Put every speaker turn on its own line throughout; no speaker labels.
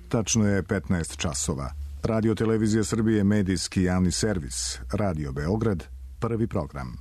Tačno je 15 časova. Radio Televizija Srbije, medijski javni servis. Radio Beograd, prvi program.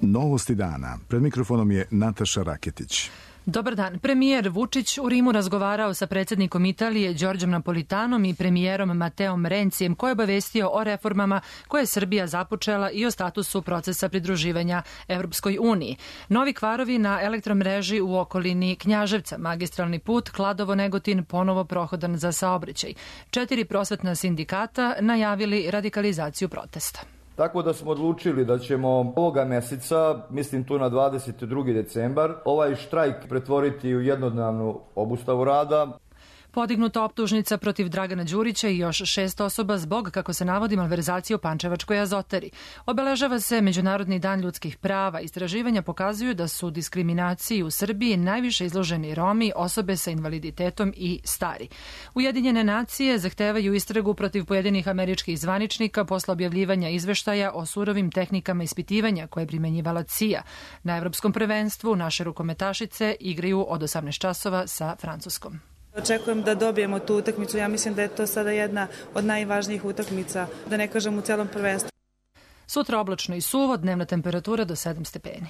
Novosti dana. Pred mikrofonom je Nataša Raketić.
Dobar dan. Premijer Vučić u Rimu razgovarao sa predsjednikom Italije Đorđem Napolitanom i premijerom Mateom Rencijem, koji je obavestio o reformama koje je Srbija započela i o statusu procesa pridruživanja Evropskoj uniji. Novi kvarovi na elektromreži u okolini Knjaževca, magistralni put Kladovo-Negotin ponovo prohodan za saobraćaj. 4 prosvetna sindikata najavili radikalizaciju protesta.
Tako da smo odlučili da ćemo ovoga meseca, mislim tu na 22. decembar, ovaj štrajk pretvoriti u jednodnevnu obustavu rada.
Podignuta optužnica protiv Dragana Đurića i još 6 osoba zbog, kako se navodi, malverzacije u Pančevačkoj azotari. Obeležava se Međunarodni dan ljudskih prava. Istraživanja pokazuju da su diskriminaciji u Srbiji najviše izloženi Romi, osobe sa invaliditetom i stari. Ujedinjene nacije zahtevaju istragu protiv pojedinih američkih zvaničnika posle objavljivanja izveštaja o surovim tehnikama ispitivanja koje je primenjivala CIA. Na Evropskom prvenstvu naše rukometašice igraju od 18 časova sa Francuskom.
Očekujem da dobijemo tu utakmicu. Ja mislim da je to sada jedna od najvažnijih utakmica, da ne kažem u celom prvenstvu.
Sutra oblačno i suvo, dnevna temperatura do 7 stepeni.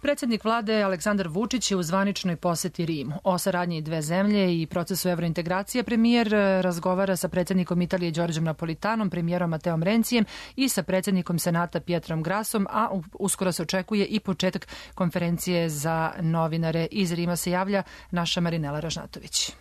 Predsjednik vlade Aleksandar Vučić je u zvaničnoj poseti Rimu. O saradnji dve zemlje i procesu evrointegracije premijer razgovara sa predsjednikom Italije Đorđem Napolitanom, premijerom Mateom Rencijem i sa predsjednikom Senata Pietrom Grasom, a uskoro se očekuje i početak konferencije za novinare. Iz Rima se javlja naša Marinela Ražnatović.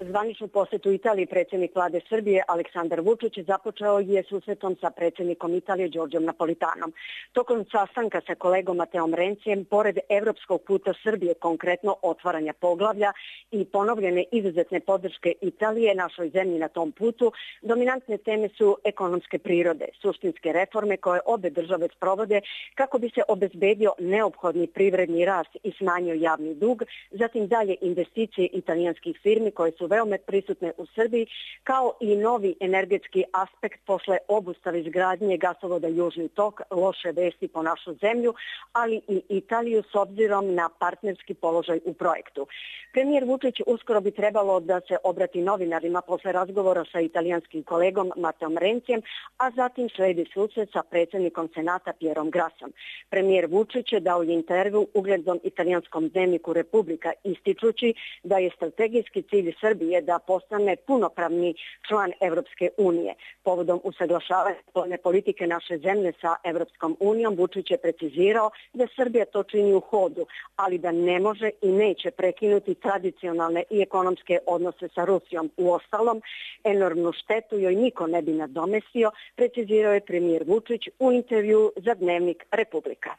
Zvaničnu posetu Italiji predsjednik vlade Srbije Aleksandar Vučić započeo je susretom sa predsjednikom Italije Đorđem Napolitanom. Tokom sastanka sa kolegom Mateom Rencijem, pored evropskog puta Srbije, konkretno otvaranja poglavlja i ponovljene izuzetne podrške Italije našoj zemlji na tom putu, dominantne teme su ekonomske prirode, suštinske reforme koje obe države sprovode kako bi se obezbedio neophodni privredni rast i smanjio javni dug, zatim dalje investicije italijanskih firmi koje su veoma prisutne u Srbiji, kao i novi energetski aspekt posle obustave izgradnje gasovoda Južni tok, loše vesti po našu zemlju, ali i Italiju s obzirom na partnerski položaj u projektu. Premijer Vučić uskoro bi trebalo da se obrati novinarima posle razgovora sa italijanskim kolegom Mateom Rencijem, a zatim sledi susret sa predsjednikom Senata Pierom Grasom. Premijer Vučić je dao intervju uglednom italijanskom dnevniku Republika, ističući da je strategijski cilj Srbije da postane punopravni član Evropske unije. Povodom usaglašavanja spoljne politike naše zemlje sa Evropskom unijom, Vučić je precizirao da Srbija to čini u hodu, ali da ne može i neće prekinuti tradicionalne i ekonomske odnose sa Rusijom. Uostalom, enormnu štetu joj niko ne bi nadomestio, precizirao je premijer Vučić u intervju za dnevnik Republika.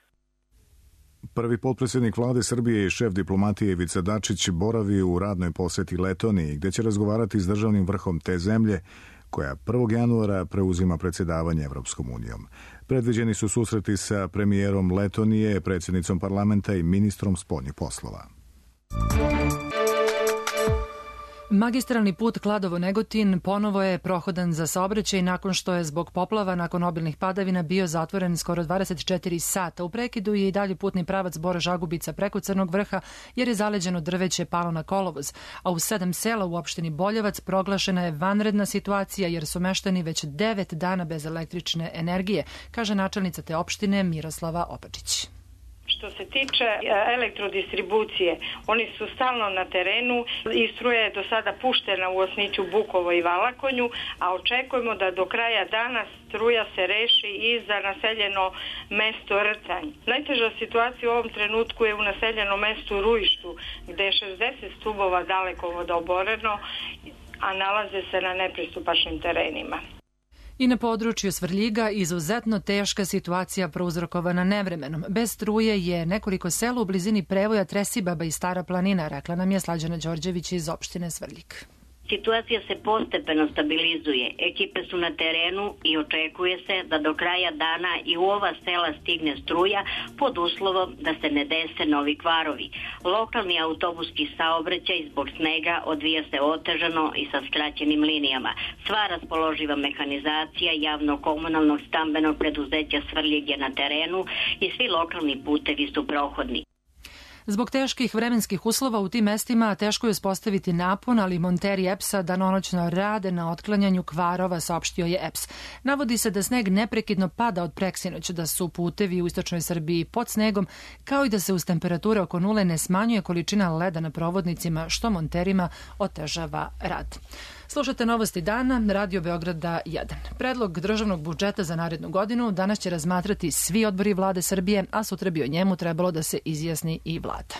Prvi potpredsjednik vlade Srbije i šef diplomatije Ivica Dačić boravi u radnoj poseti Letoniji, gde će razgovarati s državnim vrhom te zemlje, koja 1. januara preuzima predsjedavanje Evropskom unijom. Predviđeni su susreti sa premijerom Letonije, predsjednicom parlamenta i ministrom spoljnih poslova.
Magistralni put Kladovo-Negotin ponovo je prohodan za saobraćaj nakon što je zbog poplava nakon obilnih padavina bio zatvoren skoro 24 sata. U prekidu je i dalje putni pravac Bor-Žagubica preko Crnog vrha jer je zaleđeno drveće palo na kolovoz, a u 7 sela u opštini Boljevac proglašena je vanredna situacija jer su meštani već 9 dana bez električne energije, kaže načelnica te opštine Miroslava Opačić.
Što se tiče elektrodistribucije, oni su stalno na terenu i struja je do sada puštena u Osniću, Bukovo i Valakonju, a očekujemo da do kraja dana struja se reši i za naseljeno mesto Rcanj. Najteža situacija u ovom trenutku je u naseljenom mestu Rujištu, gde je 60 stubova dalekovoda oboreno, a nalaze se na nepristupačnim terenima.
I na području Svrljiga izuzetno teška situacija prouzrokovana nevremenom. Bez struje je nekoliko sela u blizini prevoja Tresibaba i Stara planina, rekla nam je Slađana Đorđević iz opštine Svrljig.
Situacija se postepeno stabilizuje, ekipe su na terenu i očekuje se da do kraja dana i u ova sela stigne struja pod uslovom da se ne dese novi kvarovi. Lokalni autobuski saobraćaj zbog snega odvija se otežano i sa skraćenim linijama. Sva raspoloživa mehanizacija javno-komunalnog stambenog preduzeća Svrljig je na terenu i svi lokalni putevi su prohodni.
Zbog teških vremenskih uslova u tim mestima teško je uspostaviti napon, ali monteri EPS-a danonoćno rade na otklanjanju kvarova, saopštio je EPS. Navodi se da sneg neprekidno pada od preksinoć, da su putevi u istočnoj Srbiji pod snegom, kao i da se uz temperature oko nule ne smanjuje količina leda na provodnicima, što monterima otežava rad. Slušate Novosti dana, Radio Beograda 1. Predlog državnog budžeta za narednu godinu danas će razmatrati svi odbori vlade Srbije, a sutra bi o njemu trebalo da se izjasni i vlada.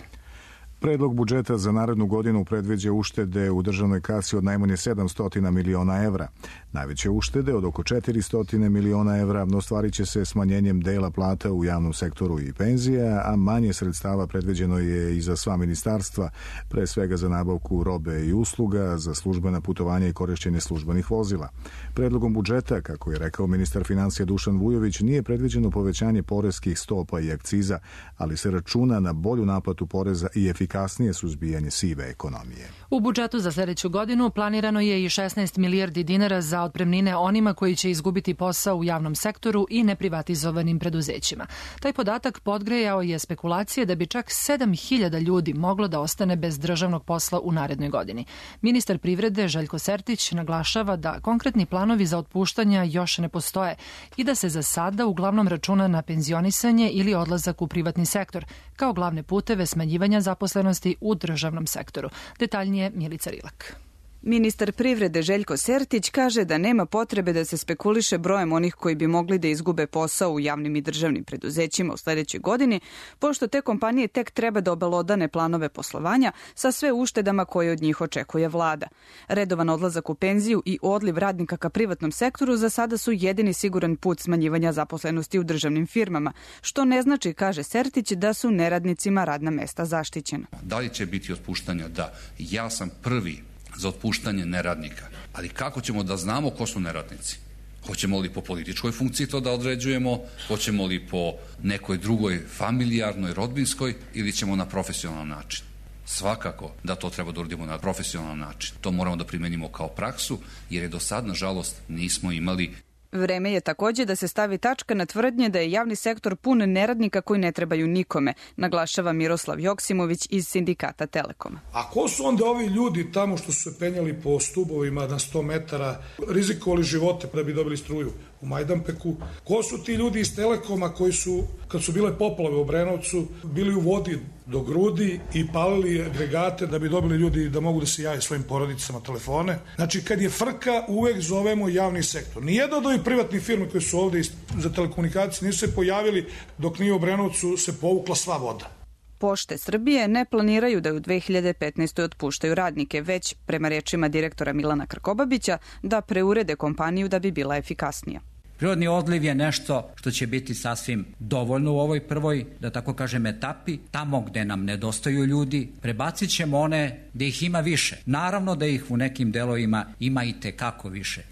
Predlog budžeta za narednu godinu predviđa uštede u državnoj kasi od najmanje 700 miliona evra. Najveće uštede od oko 400 miliona evra ostvarit će se smanjenjem dela plata u javnom sektoru i penzija, a manje sredstava predviđeno je i za sva ministarstva, pre svega za nabavku robe i usluga, za službena putovanja i korišćenje službenih vozila. Predlogom budžeta, kako je rekao ministar finansija Dušan Vujović, nije predviđeno povećanje poreskih stopa i akciza, ali se računa na bolju naplatu poreza i efikasnije suzbijanje sive ekonomije.
U budžetu za sljedeću godinu planirano je i 16 milijardi dinara za otpremnine onima koji će izgubiti posao u javnom sektoru i neprivatizovanim preduzećima. Taj podatak podgrejao je spekulacije da bi čak 7.000 ljudi moglo da ostane bez državnog posla u narednoj godini. Ministar privrede Željko Sertić naglašava da konkretni planovi za otpuštanja još ne postoje i da se za sada uglavnom računa na penzionisanje ili odlazak u privatni sektor, kao glavne puteve smanjivanja zaposlenosti u državnom sektoru. Detaljnije Milica Rilak.
Ministar privrede Željko Sertić kaže da nema potrebe da se spekuliše brojem onih koji bi mogli da izgube posao u javnim i državnim preduzećima u sljedećoj godini, pošto te kompanije tek treba da obelodane planove poslovanja sa sve uštedama koje od njih očekuje vlada. Redovan odlazak u penziju i odliv radnika ka privatnom sektoru za sada su jedini siguran put smanjivanja zaposlenosti u državnim firmama, što ne znači, kaže Sertić, da su neradnicima radna mesta zaštićena.
Da li će biti otpuštanja? Da. Ja sam prvi za otpuštanje neradnika. Ali kako ćemo da znamo ko su neradnici? Hoćemo li po političkoj funkciji to da određujemo? Hoćemo li po nekoj drugoj familijarnoj, rodbinskoj ili ćemo na profesionalan način? Svakako da to treba da uradimo na profesionalan način. To moramo da primenimo kao praksu, jer je do sad, nažalost, nismo imali.
Vreme je također da se stavi tačka na tvrdnje da je javni sektor pun neradnika koji ne trebaju nikome, naglašava Miroslav Joksimović iz sindikata Telekoma.
A ko su onda ovi ljudi tamo što su se penjali po stubovima na 100 metara, rizikovali živote da bi dobili struju u Majdanpeku? Ko su ti ljudi iz Telekoma koji su, kad su bile poplave u Obrenovcu, bili u vodi do grudi i palili agregate da bi dobili ljudi da mogu da se jave svojim porodicama telefone? Znači, kad je frka, uvek zovemo javni sektor. Nijedno od ovih privatnih firmi koji su ovde za telekomunikacije nisu se pojavili dok nije u Obrenovcu se povukla sva voda.
Pošte Srbije ne planiraju da u 2015. otpuštaju radnike, već, prema rečima direktora Milana Krkobabića, da preurede kompaniju da bi bila efikasnija.
Prirodni odliv je nešto što će biti sasvim dovoljno u ovoj prvoj, da tako kažem, etapi. Tamo gde nam nedostaju ljudi, prebacit ćemo one gde ih ima više. Naravno da ih u nekim delovima ima i tekako više.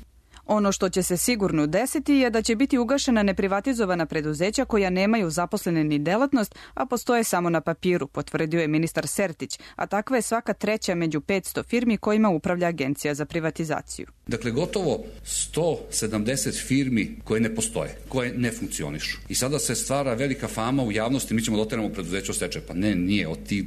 Ono što će se sigurno desiti je da će biti ugašena neprivatizovana preduzeća koja nemaju zaposlene ni delatnost, a postoje samo na papiru, potvrdio je ministar Sertić, a takva je svaka treća među 500 firmi kojima upravlja Agencija za privatizaciju.
Dakle, gotovo 170 firmi koje ne postoje, koje ne funkcionišu. I sada se stvara velika fama u javnosti, mi ćemo da oteramo preduzeće u stečaj. Pa ne, nije. Od tih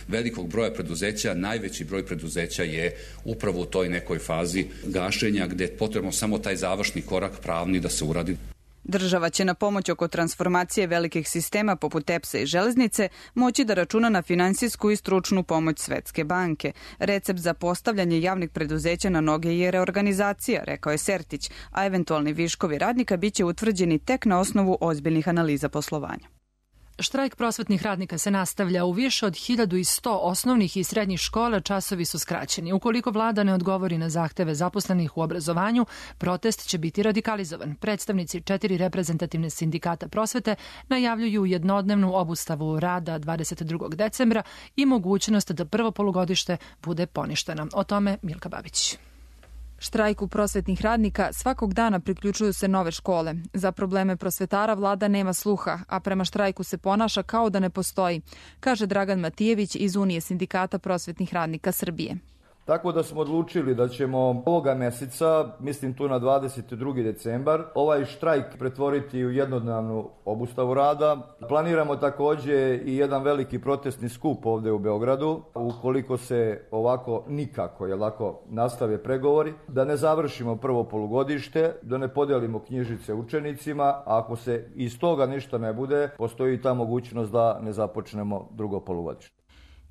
velikog broja preduzeća, najveći broj preduzeća je upravo u toj nekoj fazi gašenja gde je potrebno samo taj završni korak pravni da se uradi.
Država će na pomoć oko transformacije velikih sistema poput EPS-a i železnice moći da računa na finansijsku i stručnu pomoć Svetske banke. Recept za postavljanje javnih preduzeća na noge je reorganizacija, rekao je Sertić, a eventualni viškovi radnika biće utvrđeni tek na osnovu ozbiljnih analiza poslovanja.
Štrajk prosvetnih radnika se nastavlja. U više od 1100 osnovnih i srednjih škola časovi su skraćeni. Ukoliko vlada ne odgovori na zahteve zaposlenih u obrazovanju, protest će biti radikalizovan. Predstavnici 4 reprezentativne sindikata prosvete najavljuju jednodnevnu obustavu rada 22. decembra i mogućnost da prvo polugodište bude poništeno. O tome Milka Babić.
Štrajku prosvetnih radnika svakog dana priključuju se nove škole. Za probleme prosvetara vlada nema sluha, a prema štrajku se ponaša kao da ne postoji, kaže Dragan Matijević iz Unije sindikata prosvetnih radnika Srbije.
Tako da smo odlučili da ćemo ovoga meseca, mislim tu na 22. decembar, ovaj štrajk pretvoriti u jednodnevnu obustavu rada. Planiramo takođe i jedan veliki protestni skup ovde u Beogradu. Ukoliko se ovako nikako, nastave pregovori, da ne završimo prvo polugodište, da ne podelimo knjižice učenicima, a ako se iz toga ništa ne bude, postoji ta mogućnost da ne započnemo drugo polugodište.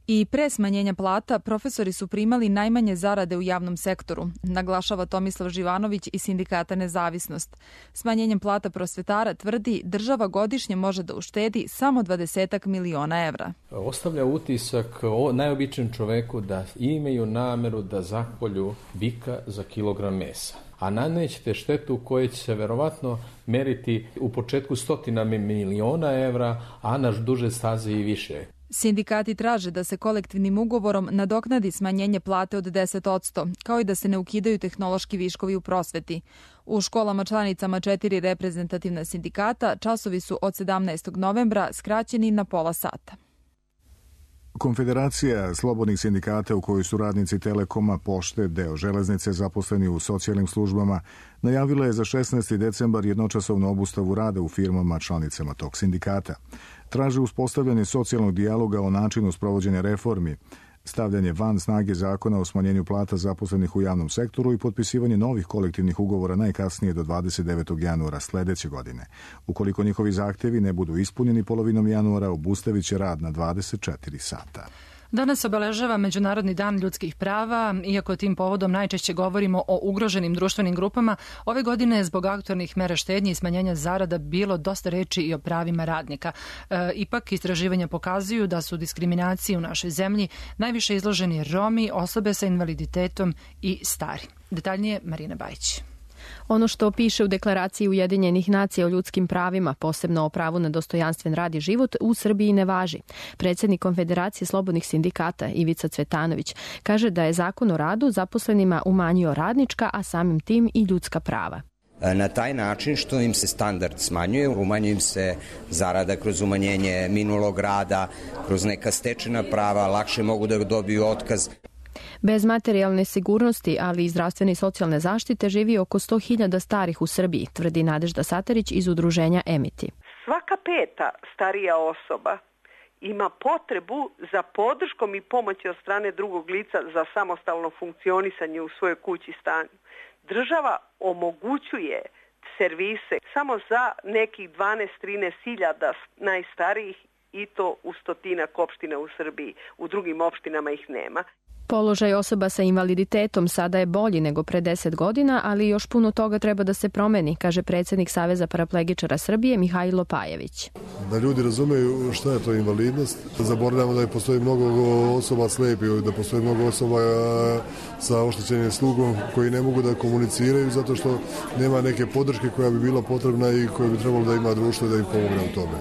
I pre smanjenja plata profesori su primali najmanje zarade u javnom sektoru, naglašava Tomislav Živanović iz sindikata Nezavisnost. Smanjenjem plata prosvetara, tvrdi, država godišnje može da uštedi samo 20 miliona evra.
Ostavlja utisak o najobičnijem čoveku da imaju nameru da zakolju bika za kilogram mesa. A nanećete štetu koje će se verovatno meriti u početku stotina miliona evra, a na duže staze i više.
Sindikati traže da se kolektivnim ugovorom nadoknadi smanjenje plate od 10%, kao i da se ne ukidaju tehnološki viškovi u prosveti. U školama članicama 4 reprezentativna sindikata časovi su od 17. novembra skraćeni na pola sata.
Konfederacija slobodnih sindikata u kojoj su radnici Telekoma, Pošte, deo železnice zaposleni u socijalnim službama, najavila je za 16. decembar jednočasovnu obustavu rada u firmama članicama tog sindikata. Traže uspostavljanje socijalnog dijaloga o načinu sprovođenja reformi, stavljanje van snage zakona o smanjenju plata zaposlenih u javnom sektoru i potpisivanje novih kolektivnih ugovora najkasnije do 29. januara sledeće godine. Ukoliko njihovi zahtevi ne budu ispunjeni polovinom januara, obustavit će rad na 24 sata.
Danas obeležava Međunarodni dan ljudskih prava. Iako tim povodom najčešće govorimo o ugroženim društvenim grupama, ove godine je zbog aktualnih mera štednje i smanjenja zarada bilo dosta reči i o pravima radnika. Ipak, istraživanja pokazuju da su diskriminaciji u našoj zemlji najviše izloženi Romi, osobe sa invaliditetom i stari. Detaljnije Marina Bajić.
Ono što piše u deklaraciji Ujedinjenih nacija o ljudskim pravima, posebno o pravu na dostojanstven rad i život, u Srbiji ne važi. Predsjednik Konfederacije slobodnih sindikata Ivica Cvetanović kaže da je Zakon o radu zaposlenima umanjio radnička, a samim tim i ljudska prava.
Na taj način što im se standard smanjuje, umanjuje im se zarada kroz umanjenje minulog rada, kroz neka stečena prava, lakše mogu da dobiju otkaz.
Bez materijalne sigurnosti, ali i zdravstvene i socijalne zaštite živi oko 100.000 starih u Srbiji, tvrdi Nadežda Satarić iz udruženja Emiti.
Svaka peta starija osoba ima potrebu za podrškom i pomoći od strane drugog lica za samostalno funkcionisanje u svojoj kući i stanju. Država omogućuje servise samo za nekih 12-13.000 najstarijih i to u 100-ak opština u Srbiji. U drugim opštinama ih nema.
Položaj osoba sa invaliditetom sada je bolji nego pre 10 godina, ali još puno toga treba da se promeni, kaže predsjednik Saveza paraplegičara Srbije Mihajlo Pajević.
Da ljudi razumeju šta je to invalidnost, zaboravljamo da postoji mnogo osoba slepih, da postoji mnogo osoba sa oštećenim slugom koji ne mogu da komuniciraju zato što nema neke podrške koja bi bila potrebna i koja bi trebalo da ima društvo da im pomogne u tome.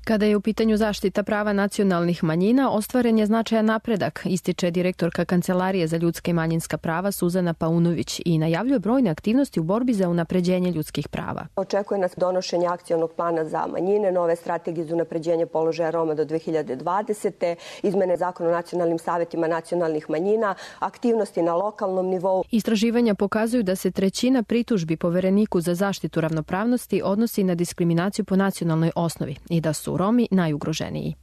Kada je u pitanju zaštita prava nacionalnih manjina, ostvaren je značajan napredak, ističe direktorka Kancelarije za ljudska i manjinska prava Suzana Paunović i najavljuje brojne aktivnosti u borbi za unapređenje ljudskih prava.
Očekuje nas donošenje akcionog plana za manjine, nove strategije za unapređenje položaja Roma do 2020. izmene zakona o nacionalnim savetima nacionalnih manjina, aktivnosti na lokalnom nivou.
Istraživanja pokazuju da se 1/3 pritužbi Povereniku za zaštitu ravnopravnosti odnosi na diskriminaciju po nacionalnoj osnovi i da su Romi najugroženiji.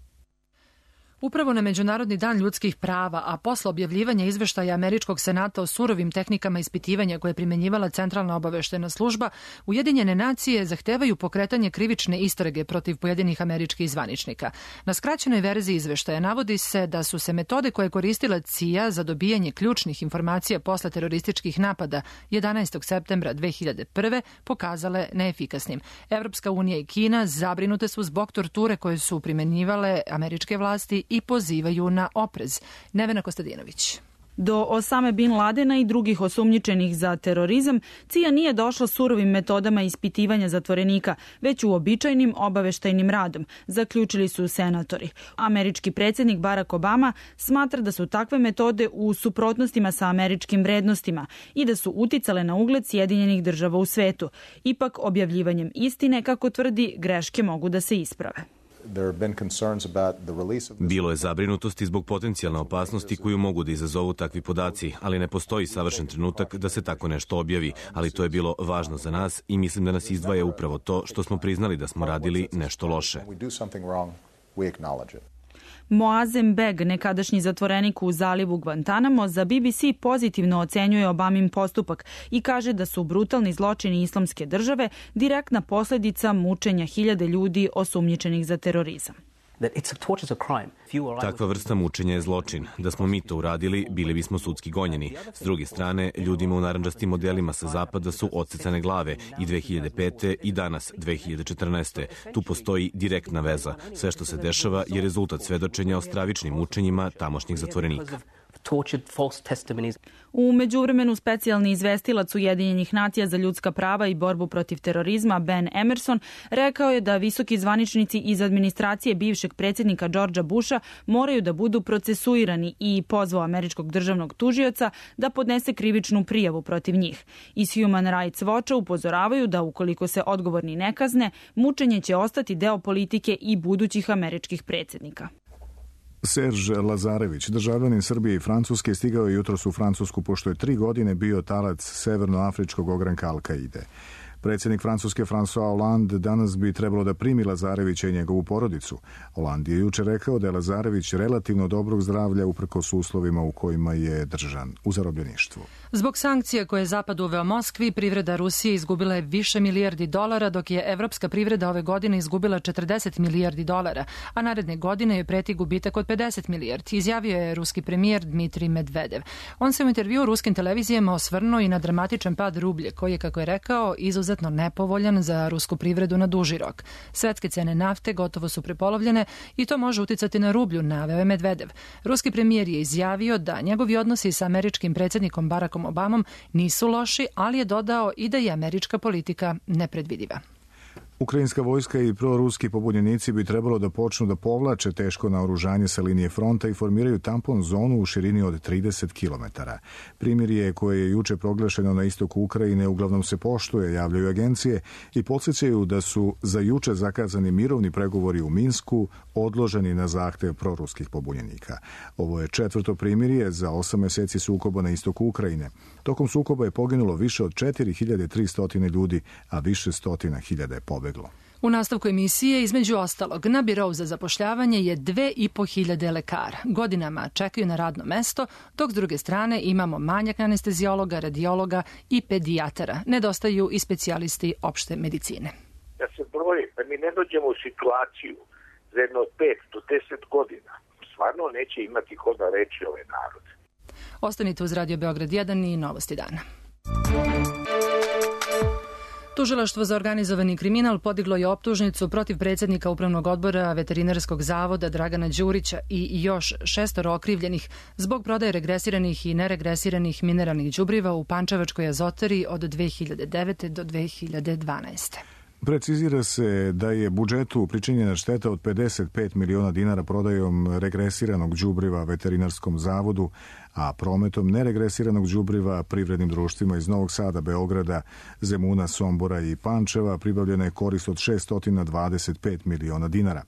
Upravo na Međunarodni dan ljudskih prava, a posle objavljivanja izveštaja Američkog senata o surovim tehnikama ispitivanja koje je primenjivala Centralna obaveštena služba, Ujedinjene nacije zahtevaju pokretanje krivične istrage protiv pojedinih američkih zvaničnika. Na skraćenoj verziji izveštaja navodi se da su se metode koje je koristila CIA za dobijanje ključnih informacija posle terorističkih napada 11. septembra 2001. pokazale neefikasnim. Evropska unija i Kina zabrinute su zbog torture koje su primenjivale američke vlasti i pozivaju na oprez. Nevena Kostadinović.
Do Osame Bin Ladena i drugih osumnjičenih za terorizam, CIA nije došla surovim metodama ispitivanja zatvorenika, već uobičajenim obaveštajnim radom, zaključili su senatori. Američki predsjednik Barack Obama smatra da su takve metode u suprotnostima sa američkim vrednostima i da su uticale na ugled Sjedinjenih država u svetu. Ipak, objavljivanjem istine, kako tvrdi, greške mogu da se isprave.
Bilo je zabrinutosti zbog potencijalne opasnosti koju mogu da izazovu takvi podaci, ali ne postoji savršen trenutak da se tako nešto objavi, ali to je bilo važno za nas i mislim da nas izdvaja upravo to što smo priznali da smo radili nešto loše.
Moazem Beg, nekadašnji zatvorenik u zalivu Guantanamo, za BBC pozitivno ocenjuje Obamin postupak i kaže da su brutalni zločini Islamske države direktna posljedica mučenja hiljade ljudi osumnjičenih za terorizam.
Takva vrsta mučenja je zločin. Da smo mi to uradili, bili bismo sudski gonjeni. S druge strane, ljudima u narandžastim modelima sa zapada su odsecane glave i 2005. i danas 2014. Tu postoji direktna veza. Sve što se dešava je rezultat svedočenja o stravičnim mučenjima tamošnjih zatvorenika.
U međuvremenu specijalni izvestilac Ujedinjenih nacija za ljudska prava i borbu protiv terorizma Ben Emerson rekao je da visoki zvaničnici iz administracije bivšeg predsjednika Georgea Busha moraju da budu procesuirani i pozvao američkog državnog tužioca da podnese krivičnu prijavu protiv njih. Iz Human Rights Watcha upozoravaju da ukoliko se odgovorni ne kazne, mučenje će ostati deo politike i budućih američkih predsjednika.
Serž Lazarević, državljanin Srbije i Francuske, stigao je jutros u Francusku pošto je 3 godine bio talac severnoafričkog ogranka Al-Kaide. Predsjednik Francuske François Hollande danas bi trebalo da primi Lazarevića i njegovu porodicu. Hollande je juče rekao da je Lazarević relativno dobrog zdravlja uprkos uslovima u kojima je držan u zarobljeništvu.
Zbog sankcija koje je Zapad uveo Moskvi, privreda Rusije izgubila je više milijardi dolara, dok je evropska privreda ove godine izgubila 40 milijardi dolara, a naredne godine je preti gubitak od 50 milijardi, izjavio je ruski premijer Dmitrij Medvedev. On se u intervjuu ruskim televizijama osvrnuo i na dramatičan pad rublje, koji je, kako je rekao, izuzetno nepovoljan za rusku privredu na duži rok. Svetske cene nafte gotovo su prepolovljene i to može uticati na rublju, naveo je Medvedev. Ruski premijer je izjavio da njegovi odnosi sa američkim predsjednikom Barackom Obamom nisu loši, ali je dodao i da je američka politika nepredvidiva.
Ukrajinska vojska i proruski pobunjenici bi trebalo da počnu da povlače teško naoružanje sa linije fronta i formiraju tampon zonu u širini od 30 km. Primirje koje je juče proglašeno na istoku Ukrajine uglavnom se poštuje, javljaju agencije i podsjećaju da su za juče zakazani mirovni pregovori u Minsku odloženi na zahtev proruskih pobunjenika. Ovo je 4. primirje za 8 meseci sukoba na istoku Ukrajine. Tokom sukoba je poginulo više od 4300 ljudi, a više stotina hiljada je pobeglo.
U nastavku emisije, između ostalog, na birou za zapošljavanje je 2500 lekara. Godinama čekaju na radno mesto, dok s druge strane imamo manjak anestezijologa, radiologa i pedijatara. Nedostaju i specijalisti opšte medicine.
Da se broji, da mi ne dođemo u situaciju za jedno 5 do 10 godina, stvarno neće imati ko da reči ovaj narod.
Ostanite uz Radio Beograd 1 i Novosti dana. Tužilaštvo za organizovani kriminal podiglo je optužnicu protiv predsjednika Upravnog odbora Veterinarskog zavoda Dragana Đurića i još 6 okrivljenih zbog prodaje regresiranih i neregresiranih mineralnih đubriva u Pančevačkoj azotari od 2009. do 2012.
Precizira se da je budžetu pričinjena šteta od 55 miliona dinara prodajom regresiranog đubriva Veterinarskom zavodu, a prometom neregresiranog đubriva privrednim društvima iz Novog Sada, Beograda, Zemuna, Sombora i Pančeva pribavljena je korist od 625 miliona dinara.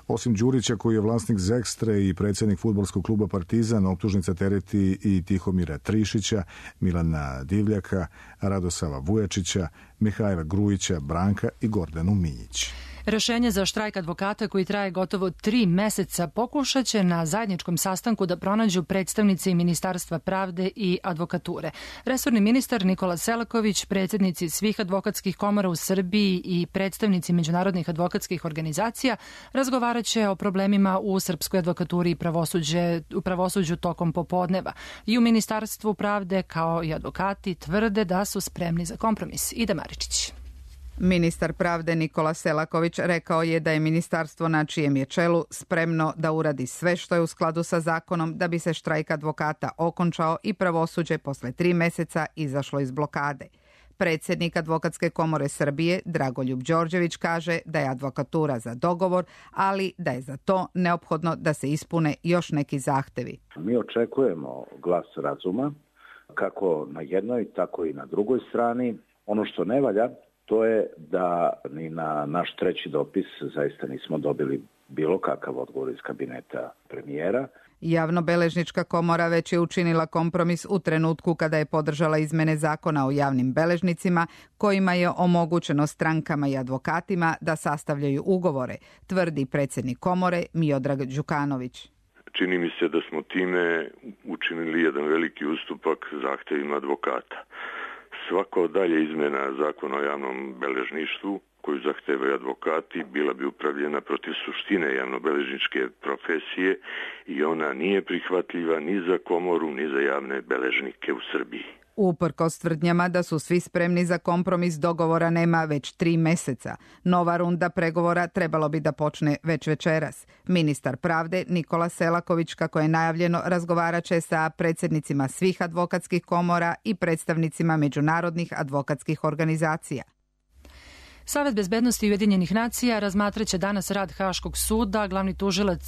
Osim Đurića, koji je vlasnik Zekstre i predsjednik fudbalskog kluba Partizan, optužnica tereti i Tihomira Trišića, Milana Divljaka, Radosava Vujačića, Mihajla Grujića, Branka i Gordanu Minjić.
Rešenje za štrajk advokata koji traje gotovo 3 meseca pokušat će na zajedničkom sastanku da pronađu predstavnici Ministarstva pravde i advokature. Resorni ministar Nikola Selaković, predsjednici svih advokatskih komora u Srbiji i predstavnici međunarodnih advokatskih organizacija razgovarat će o problemima u srpskoj advokaturi i pravosuđu tokom popodneva. I u Ministarstvu pravde kao i advokati tvrde da su spremni za kompromis. Ida Maričić.
Ministar pravde Nikola Selaković rekao je da je ministarstvo na čijem je čelu spremno da uradi sve što je u skladu sa zakonom da bi se štrajk advokata okončao i pravosuđe posle 3 meseca izašlo iz blokade. Predsjednik Advokatske komore Srbije Dragoljub Đorđević kaže da je advokatura za dogovor, ali da je za to neophodno da se ispune još neki zahtevi.
Mi očekujemo glas razuma kako na jednoj, tako i na drugoj strani. Ono što ne valja, to je da ni na naš 3. dopis zaista nismo dobili bilo kakav odgovor iz kabineta premijera.
Javnobeležnička komora već je učinila kompromis u trenutku kada je podržala izmene zakona o javnim beležnicima, kojima je omogućeno strankama i advokatima da sastavljaju ugovore, tvrdi predsjednik komore Miodrag Đukanović.
Čini mi se da smo time učinili jedan veliki ustupak zahtevima advokata. Svako dalje izmena zakona o javnom beležništvu koju zahtevaju advokati bila bi upravljena protiv suštine javnobeležničke profesije i ona nije prihvatljiva ni za komoru ni za javne beležnike u Srbiji.
Uprkos tvrdnjama da su svi spremni za kompromis, dogovora nema već 3 meseca. Nova runda pregovora trebalo bi da počne već večeras. Ministar pravde Nikola Selaković, kako je najavljeno, razgovaraće sa predsjednicima svih advokatskih komora i predstavnicima međunarodnih advokatskih organizacija.
Savet bezbednosti Ujedinjenih nacija razmatraće danas rad Haškog suda. Glavni tužilac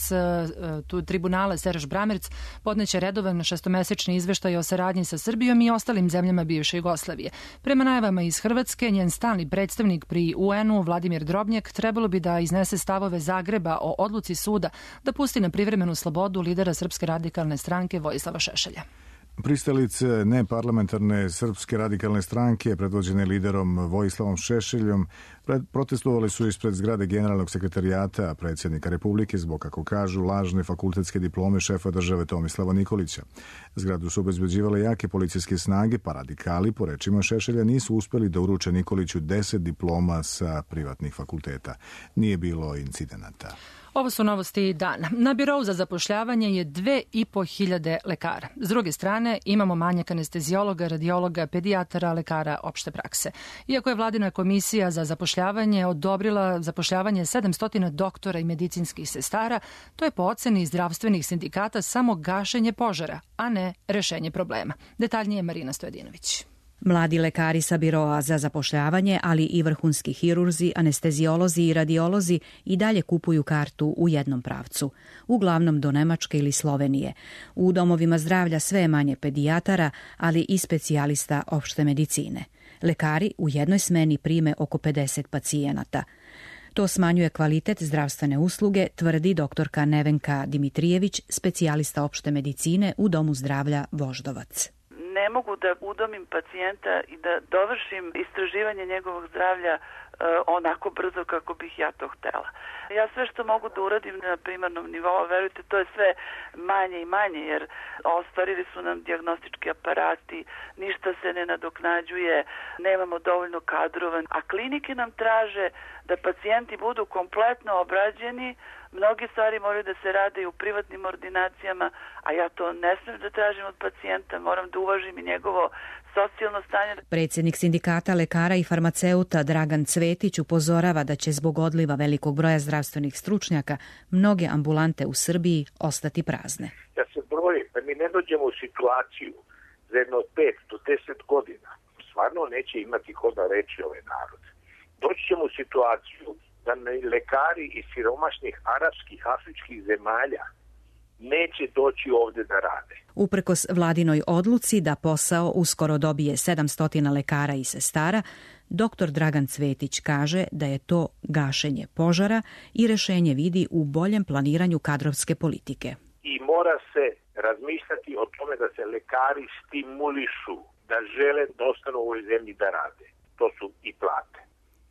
tribunala Serž Bramerc podneće redovan 6-mesečni izveštaj o saradnji sa Srbijom i ostalim zemljama bivše Jugoslavije. Prema najavama iz Hrvatske, njen stalni predstavnik pri UN-u Vladimir Drobnjak trebalo bi da iznese stavove Zagreba o odluci suda da pusti na privremenu slobodu lidera Srpske radikalne stranke Vojislava Šešelja.
Pristalice neparlamentarne Srpske radikalne stranke, predvođene liderom Vojislavom Šešeljom, protestovali su ispred zgrade generalnog sekretarijata predsjednika Republike zbog, kako kažu, lažne fakultetske diplome šefa države Tomislava Nikolića. Zgradu su obezbeđivale jake policijske snage, pa radikali, po rečima Šešelja, nisu uspeli da uruče Nikoliću 10 diploma sa privatnih fakulteta. Nije bilo incidenata.
Ovo su novosti dana. Na birou za zapošljavanje je 2.500 lekara. S druge strane, imamo manjak anesteziologa, radiologa, pedijatara, lekara opšte prakse. Iako je vladina komisija za zapošljavanje odobrila zapošljavanje 700 doktora i medicinskih sestara, to je po oceni zdravstvenih sindikata samo gašenje požara, a ne rešenje problema. Detaljnije Marina Stojadinović.
Mladi lekari sa biroa za zapošljavanje, ali i vrhunski hirurzi, anesteziolozi i radiolozi i dalje kupuju kartu u jednom pravcu, uglavnom do Nemačke ili Slovenije. U domovima zdravlja sve je manje pedijatara, ali i specijalista opšte medicine. Lekari u jednoj smeni prime oko 50 pacijenata. To smanjuje kvalitet zdravstvene usluge, tvrdi doktorka Nevenka Dimitrijević, specijalista opšte medicine u Domu zdravlja Voždovac.
Ne mogu da udomim pacijenta i da dovršim istraživanje njegovog zdravlja onako brzo kako bih ja to htela. Ja sve što mogu da uradim na primarnom nivou, verujte, to je sve manje i manje, jer ostvarili su nam dijagnostički aparati, ništa se ne nadoknađuje, nemamo dovoljno kadrova, a klinike nam traže da pacijenti budu kompletno obrađeni. Mnogi stvari moraju da se rade i u privatnim ordinacijama, a ja to ne smijem da tražim od pacijenta, moram da uvažim i njegovo socijalno stanje.
Predsjednik sindikata lekara i farmaceuta Dragan Cvetić upozorava da će zbog odliva velikog broja zdravstvenih stručnjaka mnoge ambulante u Srbiji ostati prazne.
Ja se brojim, da mi ne dođemo u situaciju za jedno 5 do 10 godina, stvarno neće imati ko da reći ovaj narod. Doći ćemo u situaciju da lekari iz siromašnih arapskih, afričkih zemalja neće doći ovdje da rade.
Uprkos vladinoj odluci da posao uskoro dobije 700 lekara i sestara, dr. Dragan Cvetić kaže da je to gašenje požara i rešenje vidi u boljem planiranju kadrovske politike.
I mora se razmišljati o tome da se lekari stimulišu, da žele da ostanu u ovoj zemlji da rade. To su i plate.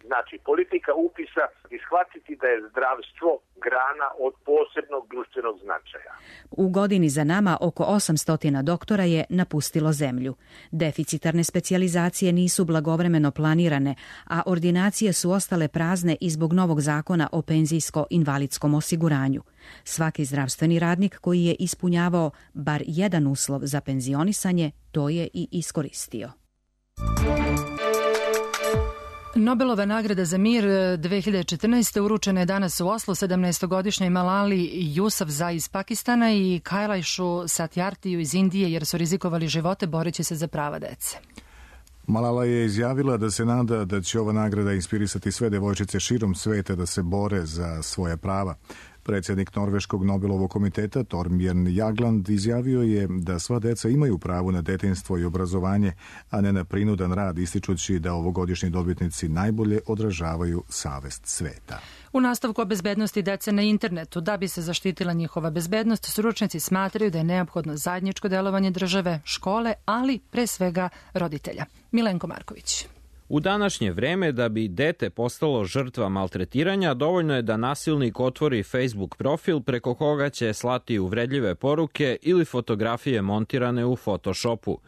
Znači, politika upisa i shvatiti da je zdravstvo grana od posebnog društvenog značaja.
U godini za nama oko 800 doktora je napustilo zemlju. Deficitarne specijalizacije nisu blagovremeno planirane, a ordinacije su ostale prazne i zbog novog zakona o penzijsko-invalidskom osiguranju. Svaki zdravstveni radnik koji je ispunjavao bar jedan uslov za penzionisanje, to je i iskoristio.
Nobelova nagrada za mir 2014. uručena je danas u Oslu 17-godišnjoj Malali Yousafzai iz Pakistana i Kailaišu Satyarthiju iz Indije jer su rizikovali živote boreći se za prava dece.
Malala je izjavila da se nada da će ova nagrada inspirisati sve devojčice širom sveta da se bore za svoja prava. Predsjednik Norveškog Nobelovog komiteta Thorbjørn Jagland izjavio je da sva deca imaju pravo na detinjstvo i obrazovanje, a ne na prinudan rad, ističući da ovogodišnji dobitnici najbolje odražavaju savest sveta.
U nastavku o bezbednosti dece na internetu, da bi se zaštitila njihova bezbednost, stručnjaci smatraju da je neophodno zajedničko delovanje države, škole, ali pre svega roditelja. Milenko Marković.
U današnje vreme, da bi dete postalo žrtva maltretiranja, dovoljno je da nasilnik otvori Facebook profil preko koga će slati uvredljive poruke ili fotografije montirane u Photoshopu.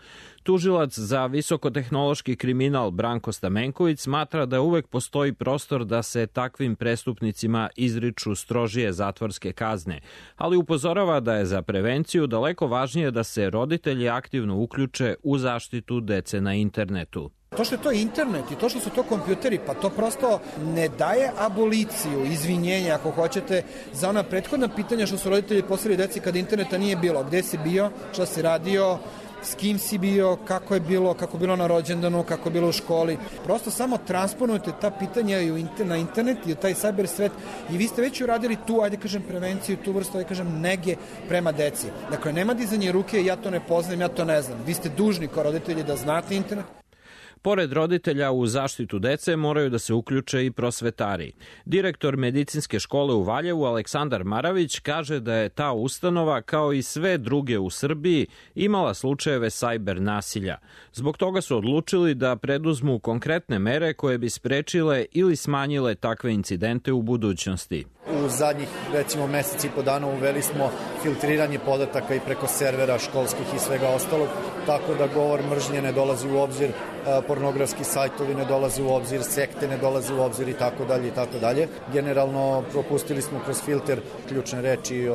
Tužilac za visokotehnološki kriminal Branko Stamenković smatra da uvek postoji prostor da se takvim prestupnicima izriču strožije zatvorske kazne, ali upozorava da je za prevenciju daleko važnije da se roditelji aktivno uključe u zaštitu dece na internetu.
To što je to internet i to što su to kompjuteri, pa to prosto ne daje aboliciju, izvinjenja ako hoćete, za ona prethodna pitanja što su roditelji postavili deci kada interneta nije bilo. Gde si bio, šta si radio, s kim si bio, kako je bilo na rođendanu, kako je bilo u školi. Prosto samo transponujete ta pitanja na internet i u taj cyber svet i vi ste već uradili tu, prevenciju, tu vrstu, nege prema deci. Dakle, nema dizanje ruke, ja to ne poznajem, ja to ne znam. Vi ste dužni kao roditelji da znate internet.
Pored roditelja u zaštitu dece moraju da se uključe i prosvetari. Direktor medicinske škole u Valjevu Aleksandar Maravić kaže da je ta ustanova, kao i sve druge u Srbiji, imala slučajeve sajber nasilja. Zbog toga su odlučili da preduzmu konkretne mere koje bi sprečile ili smanjile takve incidente u budućnosti.
U zadnjih, recimo, meseci i po dana uveli smo filtriranje podataka i preko servera školskih i svega ostalog, tako da govor mržnje ne dolazi u obzir, pornografski sajtovi ne dolaze u obzir, sekte ne dolaze u obzir i tako dalje i tako dalje. Generalno propustili smo kroz filter ključne reči,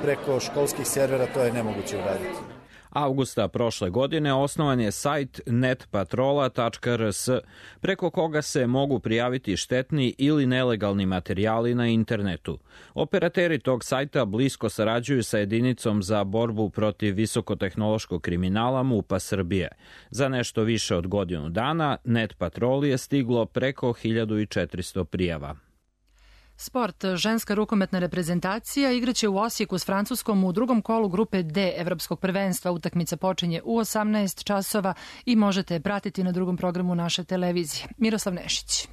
preko školskih servera to je nemoguće uraditi.
Avgusta prošle godine osnovan je sajt netpatrola.rs, preko koga se mogu prijaviti štetni ili nelegalni materijali na internetu. Operateri tog sajta blisko sarađuju sa jedinicom za borbu protiv visokotehnološkog kriminala MUP-a Srbije. Za nešto više od godinu dana NetPatrol je stiglo preko 1400 prijava.
Sport. Ženska rukometna reprezentacija igraće u Osijeku s Francuskom u drugom kolu grupe D Evropskog prvenstva. Utakmica počinje u 18 časova i možete je pratiti na drugom programu naše televizije. Miroslav Nešić.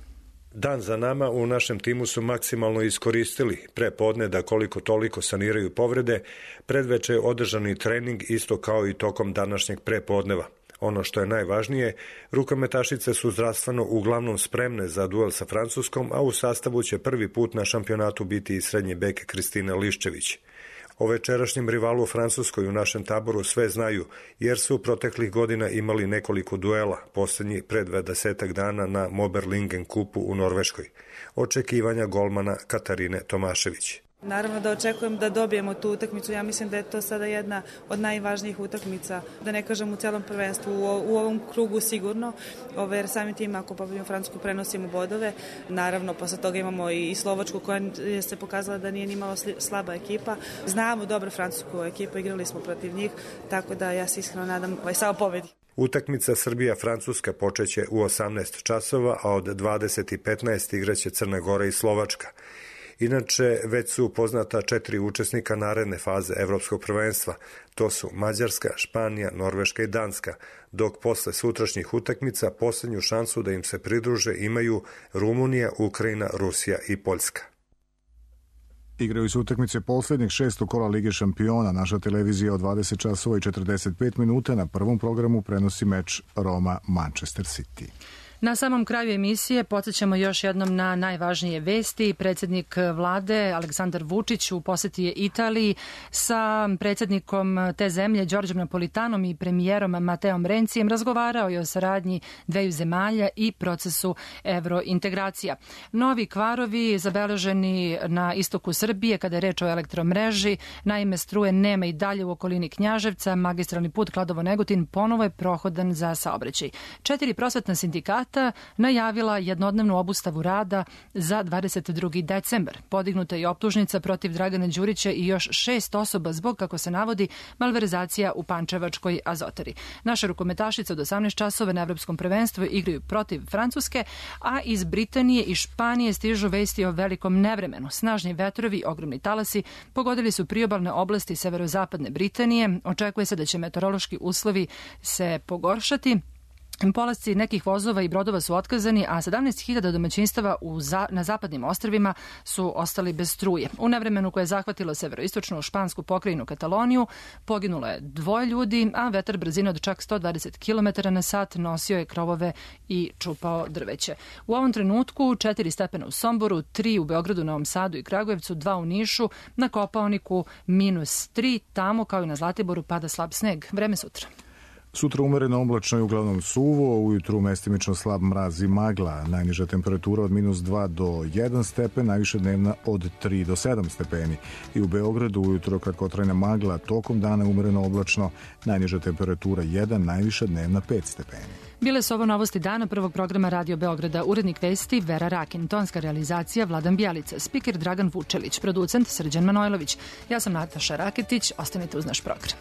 Dan za nama u našem timu su maksimalno iskoristili. Pre podne da koliko toliko saniraju povrede, predveče je održani trening isto kao i tokom današnjeg prepodneva. Ono što je najvažnije, rukometašice su zdravstveno uglavnom spremne za duel sa Francuskom, a u sastavu će prvi put na šampionatu biti i srednji bek Kristina Liščević. O večerašnjem rivalu u Francuskoj u našem taboru sve znaju, jer su proteklih godina imali nekoliko duela, posljednji pred 20 dana na Moberlingen kupu u Norveškoj. Očekivanja golmana Katarine Tomašević.
Naravno da očekujem da dobijemo tu utakmicu. Ja mislim da je to sada jedna od najvažnijih utakmica, da ne kažem u celom prvenstvu, u ovom krugu sigurno, jer samim tim ako pobedimo Francusku prenosimo bodove. Naravno, posle toga imamo i Slovačku koja je se pokazala da nije nimalo slaba ekipa. Znamo dobro francusku ekipu, igrali smo protiv njih, tako da ja se iskreno nadam samo pobedi.
Utakmica Srbija-Francuska počeće u 18 časova, a od 20:15 igraće Crna Gora i Slovačka. Inače, već su poznata 4 učesnika naredne faze Evropskog prvenstva. To su Mađarska, Španija, Norveška i Danska, dok posle sutrašnjih utakmica posljednju šansu da im se pridruže imaju Rumunija, Ukrajina, Rusija i Poljska.
Igraju se utakmice posljednjeg 6. kola Lige šampiona. Naša televizija od 20 časova i 45 minuta na prvom programu prenosi meč Roma-Manchester City.
Na samom kraju emisije podsjećamo još jednom na najvažnije vesti. Predsjednik vlade Aleksandar Vučić u poseti je Italiji sa predsjednikom te zemlje Đorđem Napolitanom i premijerom Mateom Rencijem razgovarao je o saradnji dveju zemalja i procesu evrointegracija. Novi kvarovi zabeleženi na istoku Srbije kada je reč o elektromreži, naime struje nema i dalje u okolini Knjaževca, magistralni put Kladovo-Negotin ponovo je prohodan za saobraćaj. 4 prosvetna sindikata najavila jednodnevnu obustavu rada za 22. decembar. Podignuta je optužnica protiv Dragana Đurića i još 6 osoba zbog, kako se navodi, malverzacija u pančevačkoj Azotari. Naše rukometašice od 18 časova na Evropskom prvenstvu igraju protiv Francuske, a iz Britanije i Španije stižu vesti o velikom nevremenu. Snažni vetrovi i ogromni talasi pogodili su priobalne oblasti severozapadne Britanije. Očekuje se da će meteorološki uslovi se pogoršati. Polasci nekih vozova i brodova su otkazani, a 17.000 domaćinstava na zapadnim ostrvima su ostali bez struje. U nevremenu koje je zahvatilo severoistočnu špansku pokrajinu Kataloniju poginulo je 2 ljudi, a vetar brzine od čak 120 km na sat nosio je krovove i čupao drveće. U ovom trenutku 4 stepena u Somboru, 3 u Beogradu, Novom Sadu i Kragujevcu, 2 u Nišu, na Kopaoniku -3, tamo kao i na Zlatiboru pada slab sneg. Vreme sutra.
Sutra umereno oblačno i uglavnom suvo, ujutru mestimično slab mraz i magla, najniža temperatura od -2 do 1 stepen, najviše dnevna od 3 do 7 stepeni. I u Beogradu ujutro kratkotrajna magla, tokom dana umereno oblačno, najniža temperatura 1, najviša dnevna 5 stepeni.
Bile su ovo novosti dana prvog programa Radio Beograda. Urednik vesti Vera Rakin, tonska realizacija Vladan Bjelica, spiker Dragan Vučelić, producent Srđan Manojlović. Ja sam Nataša Raketić, ostanite uz naš program.